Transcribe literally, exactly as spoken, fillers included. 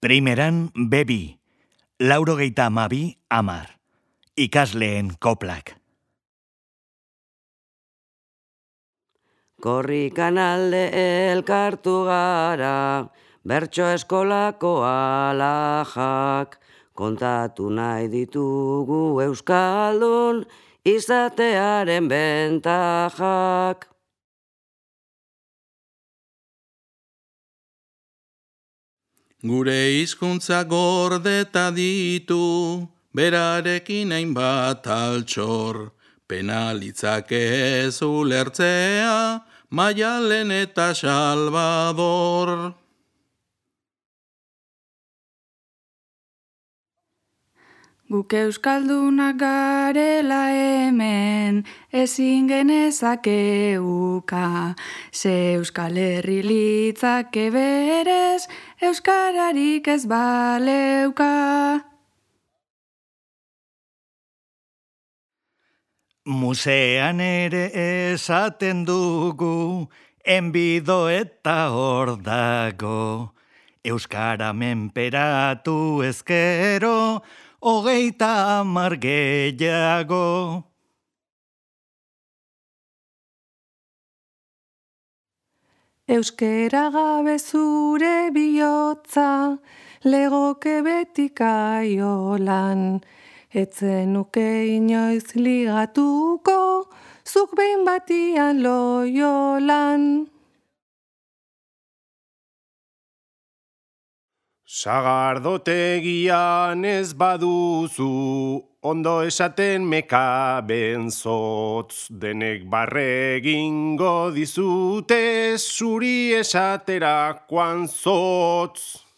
Primeran bebi, laurogeita amabi amar, ikasleen koplak. Korrikan alde elkartu gara, bertso eskolako alajak, kontatu nahi ditugu euskaldun izatearen bentajak. Gure hizkuntza gordeta ditu, berarekin hainbat altxor, penalitzake ez ulertzea, Maialen eta Salvador. Guk euskaldunak garela hemen, ezin genezake uka, ze Euskal Herri litzake berez, euskararik ez baleuka. Musean ere esaten dugu, enbido eta hor dago, euskara menperatu ezkero, hogeita hamar gehiago. Euskera gabe zure bihotza, legoke beti kaiolan, etzen nuke inoiz ligatuko, zuk behin batian Loiolan. Sagardotegian ez baduzu, ondo esaten mekaben zotz, denek barre egingo dizute, zuri esaterakoan zotz.